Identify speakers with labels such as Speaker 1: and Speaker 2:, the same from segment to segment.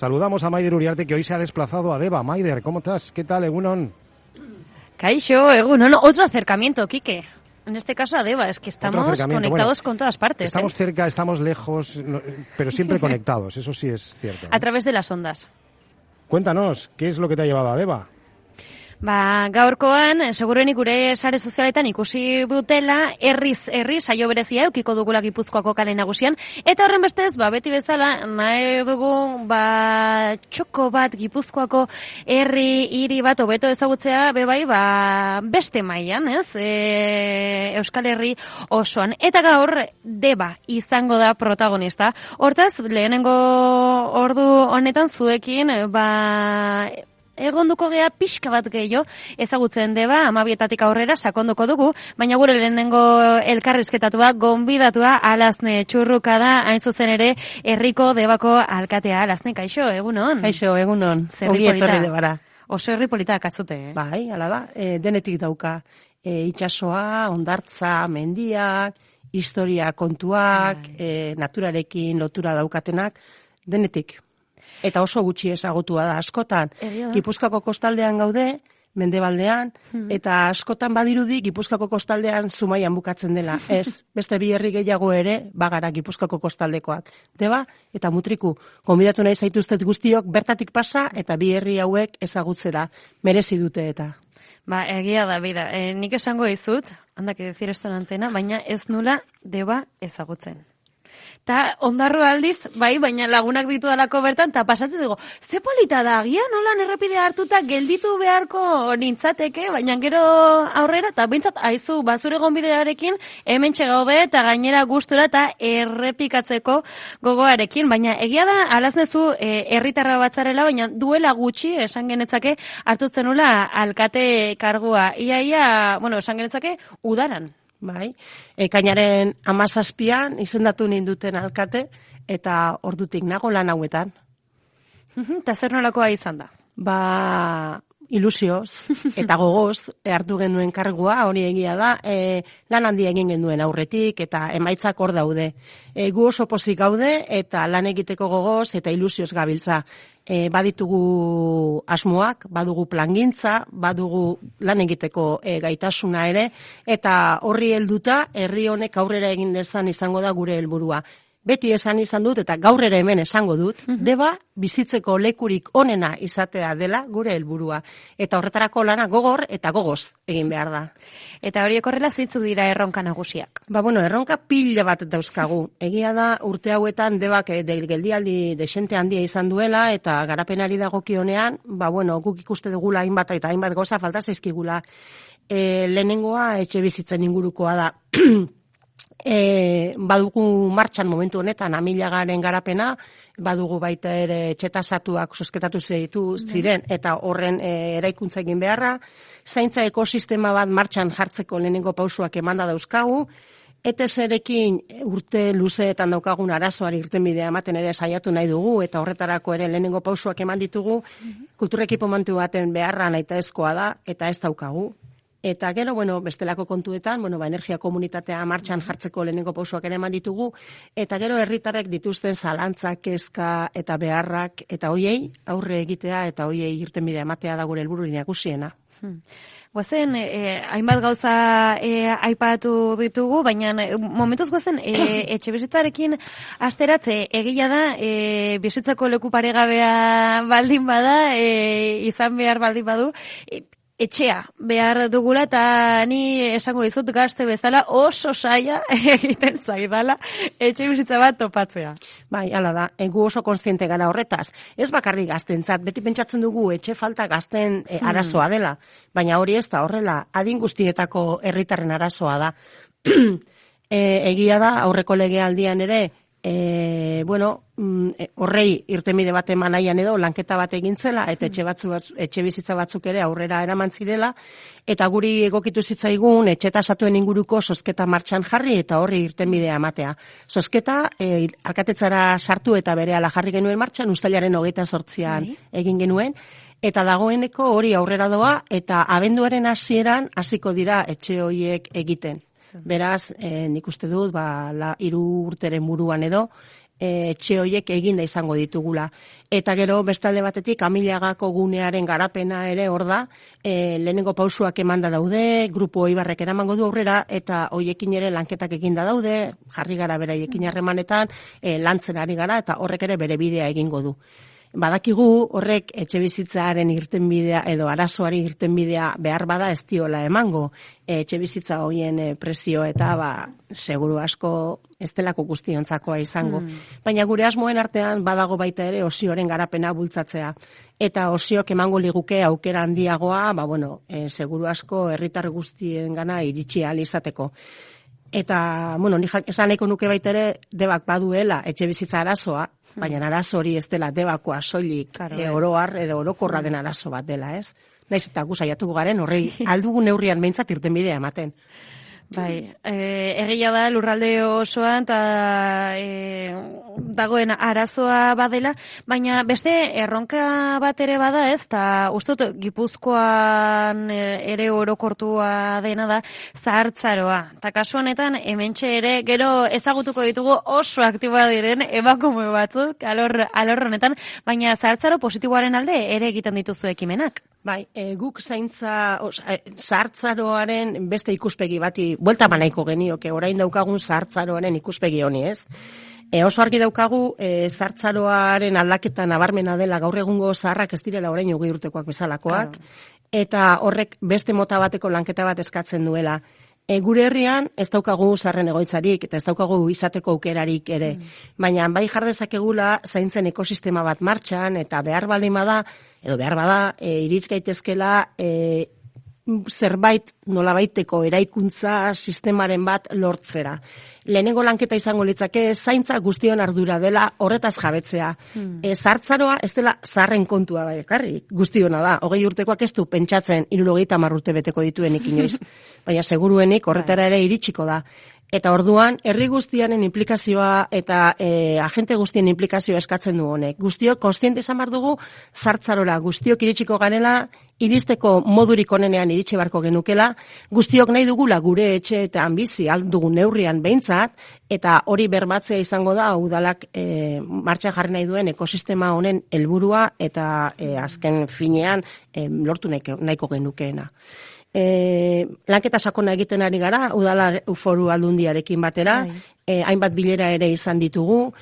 Speaker 1: Saludamos a Maider Uriarte, que hoy se ha desplazado a Deba. Maider, ¿cómo estás? ¿Qué tal, Egunon?
Speaker 2: Kaixo, Egunon. Otro acercamiento, Quique. En este caso a Deba, es que estamos conectados con todas partes.
Speaker 1: Estamos cerca, estamos lejos, pero siempre conectados, eso sí es cierto.
Speaker 2: A través de las ondas.
Speaker 1: Cuéntanos, ¿qué es lo que te ha llevado a Deba?
Speaker 2: Gaurkoan, seguruenik gure sare sozialetan ikusi dutela, herri saio berezia eukiko dugula Gipuzkoako kale nagusian, eta horren bestez, beti bezala, nahi dugu, txoko bat Gipuzkoako hiri bat hobeto ezagutzea, bebai, beste mailan, ez? Euskal Herri osoan. Eta gaur, Deba izango da protagonista. Hortaz, lehenengo ordu honetan zuekin, egonduko gea pixka bat gehiago ezagutzen Deba, 12 aurrera sakonduko dugu, baina gure lehenengo elkarrizketatua, gonbidatua Alazne Txurruka da, hain zuzen ere, herriko Debako alkatea. Alazne, kaixo, egunon?
Speaker 3: Kaixo, egunon. Ongi etorri Debara.
Speaker 2: Oso herri polita katzute,
Speaker 3: Bai, hala da, denetik dauka. Itsasoa, hondartza, mendiak, historia kontuak, naturarekin lotura daukatenak, denetik. Eta oso gutxi ezagutua da askotan. Gipuzkoako kostaldean gaude, mendebaldean, eta askotan badirudi Gipuzkoako kostaldean Zumaian bukatzen dela. Ez, beste bi herri gehiago ere bagara Gipuzkoako kostaldekoak. Deba eta Mutriku. Gonbidatu nahi zaituztet guztiok bertatik pasa eta bi herri hauek ezagutzera merezi dute eta.
Speaker 2: Egia da, bida. Nik esango dizut, handak decir esto en antena, baina ez nula Deba ezagutzen. Ta ondarru aldiz, baina lagunak ditudalako bertan, ta pasatzen dugu, ze polita da, agian nolan errepidea hartuta gelditu beharko nintzateke, baina gero aurrera, eta bintzat, aizu, bazure gonbidearekin, hemen txegaude, eta gainera gustura, eta errepikatzeko gogoarekin, baina egia da, alaznezu, herritarra batzarela, baina duela gutxi, esan genetzake, hartutzen nula alkate kargua. Ia, esan genetzake, udaran.
Speaker 3: Bai, ekainaren 17an izendatu ninduten alkate, eta ordutik nago lan hauetan.
Speaker 2: Eta zer nolakoa izan da?
Speaker 3: Ilusioz eta gogoz hartu genuen kargua, hori egia da, lan handia egin genuen aurretik, eta emaitzak hor daude. Gu oso pozik gaude, eta lan egiteko gogoz, eta ilusioz gabiltza. Baditugu asmoak, badugu plangintza, badugu lan egiteko gaitasuna ere, eta horri helduta herri honek aurrera egin dezan izango da gure helburua. Beti esan izan dut, eta gaur ere hemen esango dut, Deba bizitzeko lekurik onena izatea dela gure helburua. Eta horretarako lana gogor eta gogoz egin behar da.
Speaker 2: Eta horiek horrela zeintzuk dira erronka nagusiak?
Speaker 3: Erronka pila bat dauzkagu. Egia da, urte hauetan Debak geldialdi desente handia izan duela, eta garapenari dagokionean, guk ikuste dugula hainbat eta hainbat goza falta zaizkigula. Lehenengoa etxe bizitzen ingurukoa da. Badugu martxan momentu honetan amilagaren garapena, badugu baita ere etxetasatuak sosketatu ziren eta horren eraikuntza egin beharra, zaintza ekosistema bat martxan jartzeko lehenengo pausuak emanda dauzkagu, ETS-erekin urte luzeetan daukagun arazoari irtenbidea ematen ere saiatu nahi dugu, eta horretarako ere lehenengo pausuak eman ditugu, kulturekipo mantu baten beharra nahitaezkoa da, eta ez daukagu. Eta gero, bestelako kontuetan, energia komunitatea martxan jartzeko lehenengo pausoak ere eman ditugu, eta gero herritarrek dituzten zalantzak, kezka eta beharrak, eta hoiei aurre egitea, eta hoiei irtenbidea ematea da gure helburu nagusiena.
Speaker 2: Guazen, hainbat gauza aipatu ditugu, baina momentuz guazen, etxe bizitzarekin asteratze egia da, bizitzako leku paregabea baldin bada, izan behar baldin badu, etxea behar dugula, eta ni esango dizut gazte bezala oso saia egiten zaidala etxe bizitza bat topatzea.
Speaker 3: Bai, hala da, gu oso kontziente gara horretaz. Ez bakarrik gaztentzat, beti pentsatzen dugu etxe falta gazten arazoa dela, baina hori ez da horrela, adin guztietako herritarren arazoa da. Egia da, aurreko legealdian ere, horrei irtenbide bat eman nahian edo lanketa bat egintzela, eta etxe bizitza batzuk ere aurrera eraman zirela, eta guri egokitu zitzaigun etxetasatuen inguruko zozketa martxan jarri eta horri irtenbidea ematea. Zozketa alkatetzara sartu eta berehala jarri genuen martxan, uztailaren 28an egin genuen, eta dagoeneko hori aurrera doa, eta abenduaren hasieran hasiko dira etxe horiek egiten. Beraz, nik uste dut, 3 urteren buruan edo, etxe horiek eginda izango ditugula. Eta gero, bestalde batetik, Amilagako gunearen garapena ere hor da, lehenengo pausuak emanda daude, grupo Ibarrek eramango du aurrera, eta hoiekin ere lanketak eginda daude, jarri gara beraiekin harremanetan, lantzen ari gara, eta horrek ere bere bidea egingo du. Badakigu horrek etxebizitzaren irtenbidea edo arazoari irtenbidea behar bada ez diola emango. Etxebizitza hoien prezio eta seguru asko ez delako guztiontzakoa izango. Baina gure asmoen artean badago baita ere osioren garapena bultzatzea. Eta osiok emango liguke aukera handiagoa, seguru asko herritar guztiengana iritsi ahal izateko. Eta, nik esan nahiko nuke baita ere Debak baduela etxebizitza arazoa, baina arazo hori ez dela Debakoa soilik oroar edo orokorra den arazo bat dela, ez? Naiz eta gu saiatuko garen horrei aldugu neurrian behintzat irtenbidea ematen.
Speaker 2: Bai, egia da lurralde osoan eta dagoen arazoa badela, baina beste erronka bat ere bada ez, eta uste dut Gipuzkoan ere orokortua dena da zahartzaroa. Eta kasu honetan hementxe ere gero ezagutuko ditugu oso aktiboa diren emakume batzuk alor honetan, baina zahartzaro positiboaren alde ere egiten dituzu ekimenak.
Speaker 3: Bai, guk zahartzaroaren beste ikuspegi bati buelta nahiko genioke, orain daukagun zahartzaroaren ikuspegi honi, ez? Oso argi daukagu zahartzaroaren aldaketa nabarmena dela gaur egungo zaharrak ez direla orain 20 urtekoak bezalakoak, eta horrek beste mota bateko lanketa bat eskatzen duela. Gure herrian ez daukagu zaharren egoitzarik eta ez daukagu izateko aukerarik ere. Baina bai jar dezakegula zaintzen ekosistema bat martxan eta behar bada, irits gaitezkela zerbait nolabaiteko eraikuntza sistemaren bat lortzera. Lehenengo lanketa izango litzake zaintza guztion ardura dela horretaz jabetzea. Zahartzaroa ez dela zaharren kontua bakarrik, guztiona da. 20 urtekoak ez du pentsatzen 70 urte beteko dituenik inoiz. Baina seguruenik horretara ere iritsiko da. Eta orduan, herri guztianen implikazioa eta agente guztien implikazioa eskatzen du honek. Guztiok kontziente izan behar dugu zahartzarora, guztiok iritsiko garela, iristeko modurik onenean iritsi beharko genukela, guztiok nahi dugula gure etxe eta bizi dugun neurrian behintzat, eta hori bermatzea izango da udalak martxan jarri nahi duen ekosistema honen helburua eta azken finean lortu nahiko genukeena. Lanketa sakona egiten ari gara, udala foru aldundiarekin batera, hainbat bilera ere izan ditugu,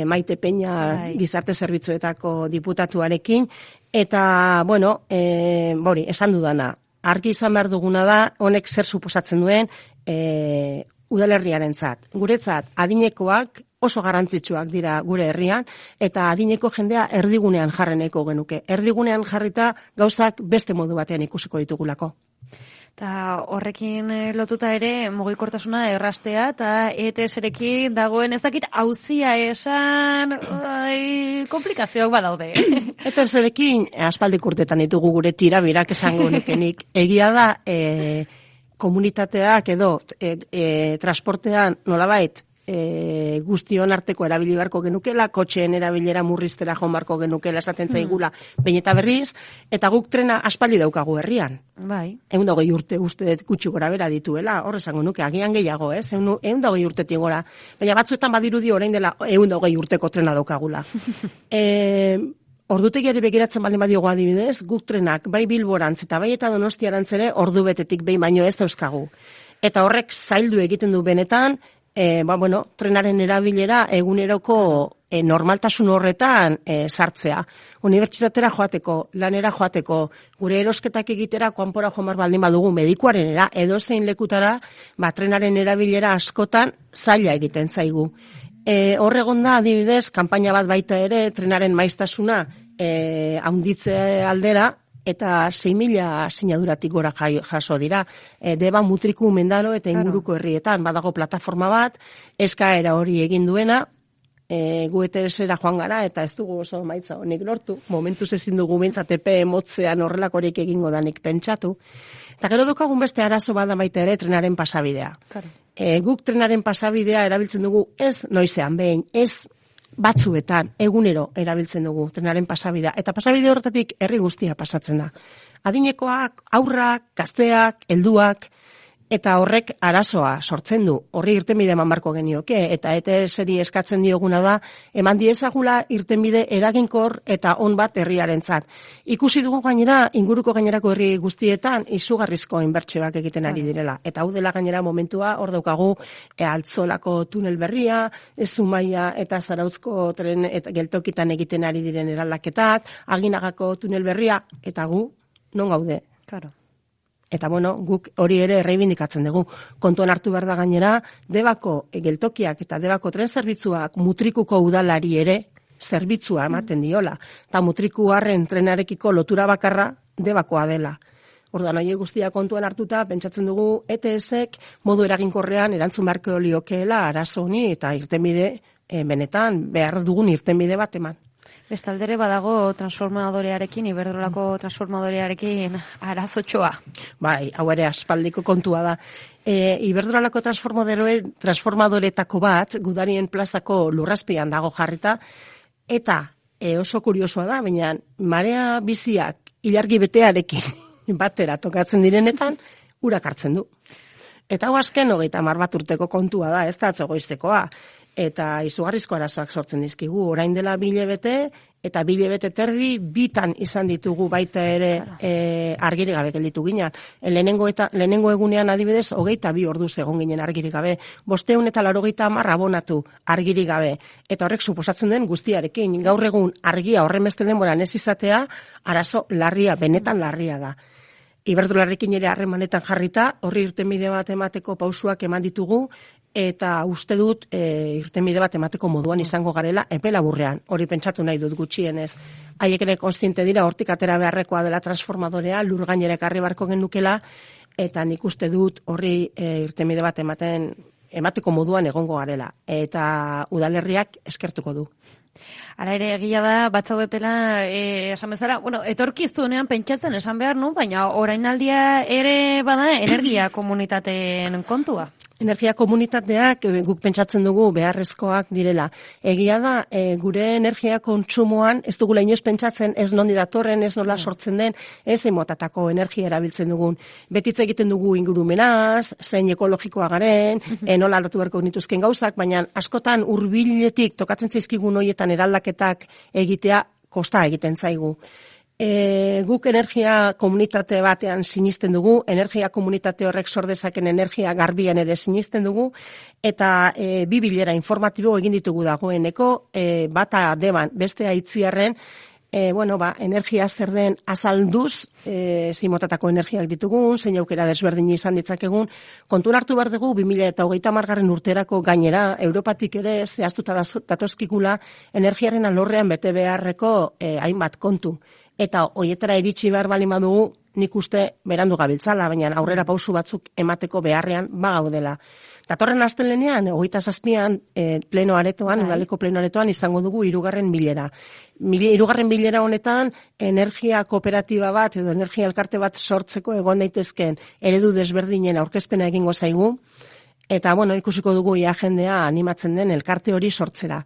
Speaker 3: Maite Peña gizarte zerbitzuetako diputatuarekin, eta, esan dudana, argi izan behar duguna da, honek zer suposatzen duen udalerriarentzat. Guretzat, adinekoak oso garrantzitsuak dira gure herrian, eta adineko jendea erdigunean jarreneko genuke. Erdigunean jarrita gauzak beste modu batean ikusiko ditugulako.
Speaker 2: Eta horrekin lotuta ere mugikortasuna errastea eta ETS-erekin dagoen ez dakit auzia esan komplikazioak badaude.
Speaker 3: ETS-erekin aspaldik urtetan ditugu gure tirabirak esango nukenik. Egia da komunitateak edo transportean nolabait guztion arteko erabili beharko genukela, kotxeen erabilera murriztera joan beharko genukela esaten zaigula behin eta berriz, eta guk trena aspaldi daukagu herrian.
Speaker 2: Bai.
Speaker 3: 120 urte uste gutxi gora bera dituela, hor esango nuke, agian gehiago, 120 urtetik gora. Baina batzuetan badirudi orain dela 120 urteko trena daukagula. Ordutegiari begiratzen baldin badiogu adibidez, guk trenak bai Bilborantz eta bai eta Donostiarantz ere ordu betetik behin baino ez dauzkagu. Eta horrek zaildu egiten du benetan, trenaren erabilera eguneroko normaltasun horretan sartzea. Unibertsitatera joateko, lanera joateko, gure erosketak egitera kanpora joan baldin badugu medikuarenera, edozein lekutara, trenaren erabilera askotan zaila egiten zaigu. Horregon da, adibidez, kanpaina bat baita ere, trenaren maiztasuna handitze aldera, eta 6.000 sinaduratik gora jaso dira. Deba, Mutriku, Mendaro eta inguruko herrietan badago plataforma bat, eskaera hori egin duena, gu ETS-era joan gara, eta ez dugu oso maitza honik lortu, momentuz ezin dugu bintzat epe motzean horrelakorik egingo danik pentsatu. Eta gero daukagun beste arazo bada baita ere trenaren pasabidea. Guk trenaren pasabidea erabiltzen dugu ez noizean behin, ez batzuetan, egunero erabiltzen dugu trenaren pasabidea. Eta pasabide horretatik herri guztia pasatzen da. Adinekoak, aurrak, gazteak, helduak, eta horrek arazoa sortzen du. Horri irtenbide eman barko genioke, eta ETS-eri eskatzen dioguna da, eman diezagula irtenbide eraginkor eta on bat herriarentzat. Ikusi dugu gainera, inguruko gainerako herri guztietan, izugarrizko inbertsioak egiten ari direla. Eta hau dela gainera momentua, hor daukagu, Altzolako tunel berria, Zumaia eta Zarautzko tren eta geltokitan egiten ari diren eraldaketak, Aginagako tunel berria, eta gu, non gaude?
Speaker 2: Claro.
Speaker 3: Eta bueno, guk hori ere erreibindikatzen dugu. Kontuan hartu behar da gainera, Debako geltokiak eta Debako tren zerbitzuak Mutrikuko udalari ere zerbitzua ematen diola. Eta Mutrikuarren trenarekiko lotura bakarra Debakoa dela. Orduan, hori guztia kontuan hartuta, pentsatzen dugu ETS-ek modu eraginkorrean erantzun beharko liokeela arazo honi eta irtenbide benetan behar dugun irtenbide bat eman.
Speaker 2: Bestaldere badago transformadorearekin, Iberdrolako transformadorearekin arazotxoa.
Speaker 3: Bai, hau ere aspaldiko kontua da. Iberdrolako transformadoretako bat, Gudarien plazako lurrazpian dago jarrita, eta oso kuriosoa da, baina marea biziak ilargi betearekin batera tokatzen direnetan, urak hartzen du. Eta hau azken 30 bat urteko kontua da, ez da atzogoiztekoa. Eta izugarrizko arazoak sortzen dizkigu. Orain dela 2 hilabete eta 2 hilabete terdi bitan izan ditugu baita ere argirik gabe gelditu ginen. Lehenengo egunean adibidez 22 orduz egon ginen argirik gabe. 580 abonatu argirik gabe. Eta horrek suposatzen den guztiarekin. Gaur egun argia horren beste denboran ez izatea arazo larria, benetan larria da. Iberdrolarekin ere harremanetan jarrita, horri irtenbide bat emateko pausuak eman ditugu, eta uste dut irtenbide bat emateko moduan izango garela epe laburrean. Hori pentsatu nahi dut gutxienez. Haiek ere kontziente dira hortik atera beharrekoa dela transformadorea, lur gainera ekarri barko genukela, eta nik uste dut horri irtenbide bat emateko moduan egongo garela. Eta udalerriak eskertuko du.
Speaker 2: Hala ere, egia da, batzaudetela, esan bezala, bueno, etorkizunean pentsatzen esan behar nu, baina orainaldia ere bada energia komunitateen kontua.
Speaker 3: Energia komunitateak guk pentsatzen dugu beharrezkoak direla. Egia da, gure energia kontsumoan ez dugula inoiz pentsatzen ez nondi datorren, ez nola sortzen den, ez motatako energia erabiltzen dugun. Betitze egiten dugu ingurumenaz, zein ekologikoa garen, nola aldatu beharko nituzken gauzak, baina askotan hurbiletik tokatzen zaizkigun horietan eraldaketak egitea kosta egiten zaigu. Guk energia komunitate batean sinisten dugu, energia komunitate horrek sor dezaken energia garbian ere sinisten dugu, eta 2 bilera informatibo egin ditugu dagoeneko, bata Deban, bestea Itziarren, energia zer den azalduz, zimotatako energiak ditugun, zein aukera desberdin izan ditzakegun, kontun hartu behar dugu 2030 urterako gainera, Europatik ere zehaztuta datozkikula energiaren alorrean bete beharreko hainbat kontu. Eta hoietara iritsi behar bali badugu, nik uste berandu gabiltzala, baina aurrera pausu batzuk emateko beharrean bagaudela. Datorren astelehenean, 27an pleno aretoan, udaleko pleno aretoan izango dugu 3. bilera. 3. bilera honetan, energia kooperatiba bat edo energia elkarte bat sortzeko egon daitezkeen eredu desberdinen aurkezpena egingo zaigu, eta ikusiko dugu jendea animatzen den elkarte hori sortzera.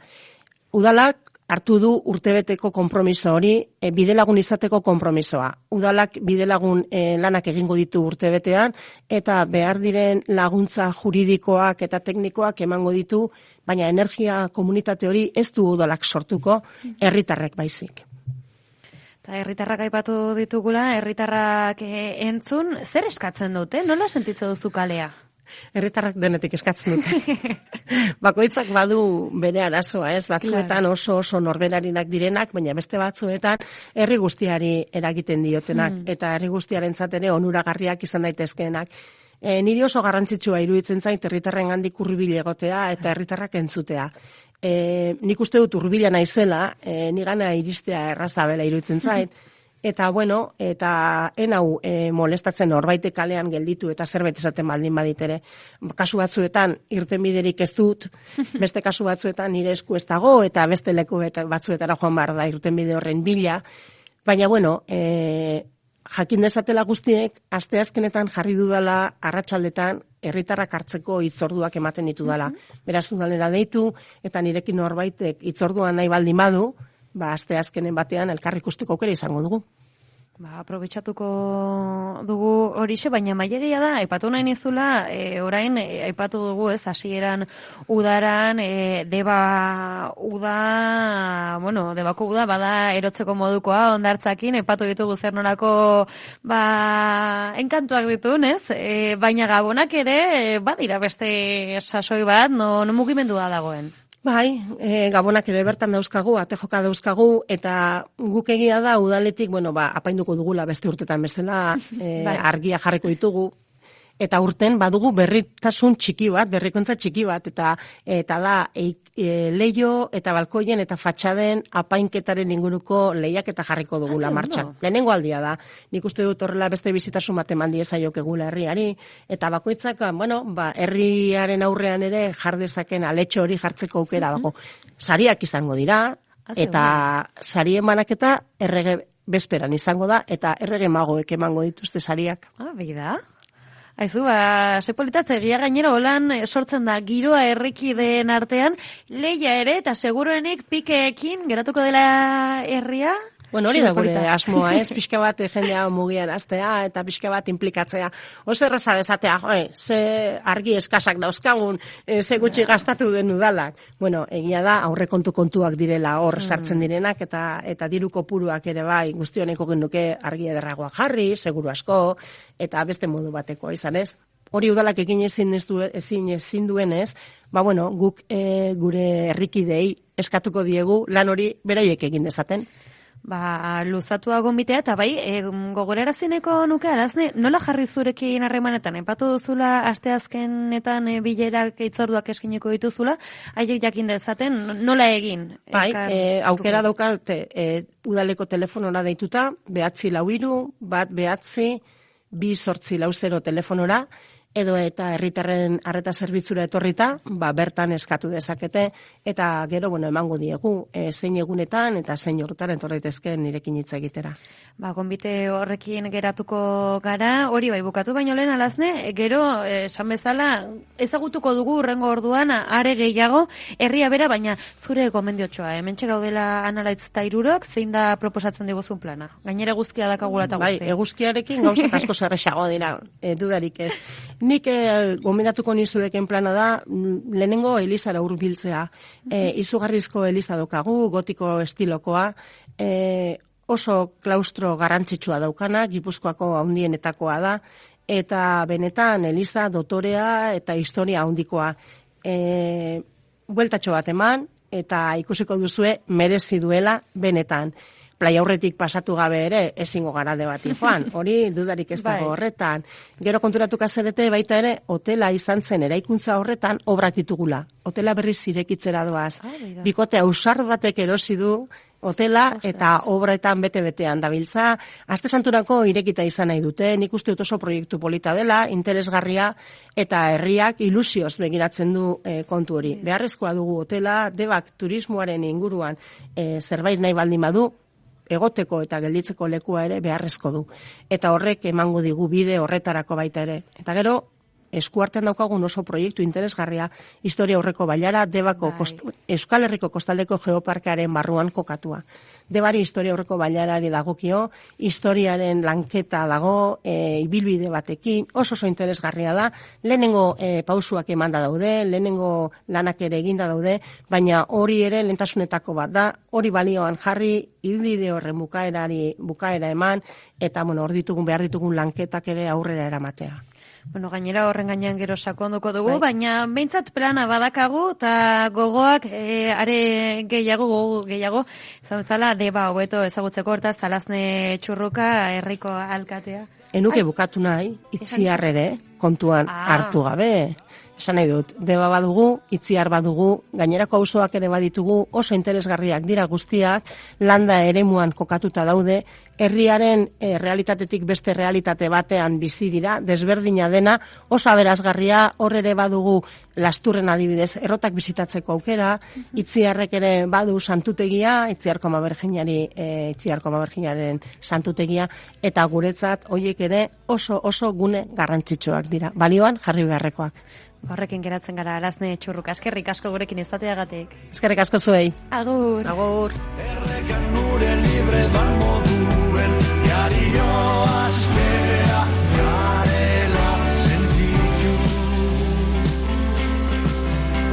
Speaker 3: Udalak hartu du urtebeteko konpromiso hori, bidelagun izateko konpromisoa. Udalak bidelagun lanak egingo ditu urtebetean, eta behar diren laguntza juridikoak eta teknikoak emango ditu, baina energia komunitate hori ez du udalak sortuko, herritarrek baizik.
Speaker 2: Eta herritarrak aipatu ditugula, herritarrak entzun, zer eskatzen dute? Nola sentitzen duzu kalea?
Speaker 3: Herritarrak denetik eskatzen dute. Bakoitzak badu bere arazoa, ez? Batzuetan oso norberarinak direnak, baina beste batzuetan herri guztiari eragiten diotenak, eta herri guztiarentzat ere onuragarriak izan daitezkeenak. Niri oso garrantzitsua iruditzen zait herritarrengandik hurbil egotea eta herritarrak entzutea. Nik uste dut hurbila naizela, nigana iristea erraza dela iruditzen zait. Eta enau molestatzen norbaitek kalean gelditu eta zerbait esaten baldin baditere. Kasu batzuetan irtenbiderik ez dut, beste kasu batzuetan nire esku ez dago eta beste leku batzuetara joan behar da irtenbide horren bila. Baina jakin dezatela guztiek, asteazkenetan jarri dudala arratsaldetan herritarrak hartzeko hitzorduak ematen ditudala. Beraz udalera deitu eta nirekin norbaitek hitzordua nahi baldin badu, asteazkenen batean elkar ikusteko aukera izango dugu.
Speaker 2: Aprobetxatuko dugu horixe, baina mailegia da, aipatu nahi nizula, orain, aipatu dugu, ez, hasieran udaran, debako uda, bada erotzeko modukoa, ondartzakin, aipatu ditugu zer nolako, enkantuak ditun, ez? Baina gabonak ere, badira beste sasoi bat, no mugimendua dagoen.
Speaker 3: Bai, gabonak ere bertan dauzkagu, atejoka dauzkagu, eta guk egia da udaletik, apainduko dugula beste urtetan bezala, argia jarriko ditugu, eta urten badugu berritasun txiki bat, berrikuntza txiki bat, eta da leio eta balkoien eta fatxaden apainketaren inguruko lehiak eta jarriko dugula martxan. Lehenengo aldia da, nik uste dut horrela beste bizitasun bat eman diezaiok egula herriari, eta bakoitzak, herriaren aurrean ere jardezaken aletxo hori jartzeko aukera dago. Sariak izango dira, eta sari emanaketa errege bezperan izango da, eta errege magoek emango dituzte sariak.
Speaker 2: Bida. Aizu, sepolitatze, egia gainera holan sortzen da giroa herrikideen artean, lehia ere, eta seguruenik pikeekin geratuko dela herria?
Speaker 3: Hori da gure asmoa, pixka bat jendea mugian astea eta pixka bat implikatzea. Oso erraza dezatea, ze argi eskasak dauzkagun, ze gutxi gastatu den udalak. Egia da, aurrekontu kontuak direla hor sartzen direnak eta diru kopuruak ere bai, guztioneko genuke argi ederragoak jarri, seguru asko, eta beste modu bateko izan ez. Hori udalak egin ezin duenez, guk gure herrikidei eskatuko diegu lan hori beraiek egin dezaten.
Speaker 2: Luzatua gombitea, eta bai, gogorarazineko nuke, Arazne, nola jarri zurekin harremanetan? Epatu duzula, asteazkenetan bilerak itzorduak eskiniko dituzula, haiek jakin dezaten, nola egin?
Speaker 3: Bai, aukera daukate, udaleko telefonora deituta, 943-189-280 telefonora, edo eta herritarren arreta zerbitzura etorrita, bertan eskatu dezakete, eta gero, emango diegu, zein egunetan eta zein horretan etorretezken nirekin hitz egitera.
Speaker 2: Gonbite horrekin geratuko gara, hori bai bukatu baino lehen Alazne, gero, esan bezala, ezagutuko dugu urrengo orduan, are gehiago, herria bera, baina zure gomendiotxoa, hementxe gaudela Analaitz eta Hirurok, zein da proposatzen diguzun plana? Gainera eguzkia dakagula eta guzti.
Speaker 3: Bai, eguzkiarekin gauzak asko zerrexago dira, dudarik ez. Nik gomendatuko nizueken plana da, lehenengo elizara hurbiltzea. Izugarrizko eliza daukagu, gotiko estilokoa, oso klaustro garrantzitsua daukana, Gipuzkoako handienetakoa da, eta benetan eliza dotorea eta historia handikoa. Bueltatxo bat eman, eta ikusiko duzue merezi duela benetan. Playa aurretik pasatu gabe ere ezingo gara debati joan. Hori dudarik ez dago horretan. Gero konturatuko zerete baita ere hotela izan zen eraikuntza horretan obrak ditugula. Hotela berriz irekitzera doaz. Bikote ausar batek erosi du hotela eta obretan bete-betean dabiltza. Aste santurako irekita izan nahi dute. Nik uste dut oso proiektu polita dela, interesgarria eta herriak ilusioz begiratzen du kontu hori. Beharrezkoa dugu hotela, Debak turismoaren inguruan zerbait nahi baldin badu, egoteko eta gelditzeko lekua ere beharrezko du. Eta horrek emango digu bide horretarako baita ere. Eta gero, eskuartean daukagun oso proiektu interesgarria, historia aurreko bailara, Debako Euskal Herriko kostaldeko geoparkearen barruan kokatua. Debari historia aurreko bailarari dagokio, historiaren lanketa dago, ibilbide batekin, oso interesgarria da, lehenengo pausuak emanda daude, lehenengo lanak ere eginda daude, baina hori ere lehentasunetako bat da, hori balioan jarri, ibilbide horren bukaera eman, eta hor behar ditugun lanketak ere aurrera eramatea.
Speaker 2: Gainera horren gainean gero sakonduko dugu, baina behintzat plana badakagu, eta gogoak are gehiago, zan bezala, Deba hobeto ezagutzeko hortaz, Alazne Txurruka, herriko alkatea.
Speaker 3: Enuke bukatu nahi, Itziar ere, kontuan hartu gabe. Esan nahi dut, Deba badugu, Itziar badugu, gainerako auzoak ere baditugu, oso interesgarriak dira guztiak, landa eremuan kokatuta daude, herriaren realitatetik beste realitate batean bizi dira, desberdina dena, oso aberasgarria, hor ere badugu Lasturren adibidez, errotak bizitatzeko aukera, Itziarrek ere badu santutegia, Itziarko Maberginaren santutegia, eta guretzat horiek ere oso gune garrantzitsuak dira, balioan jarri beharrekoak.
Speaker 2: Horrekin geratzen gara, Alazne Txurruka, eskerrik asko gurekin izateagatik.
Speaker 3: Eskerrik asko zuei.
Speaker 2: Agur.
Speaker 3: Agur.
Speaker 4: Errekan nure libre dago duen, dio azken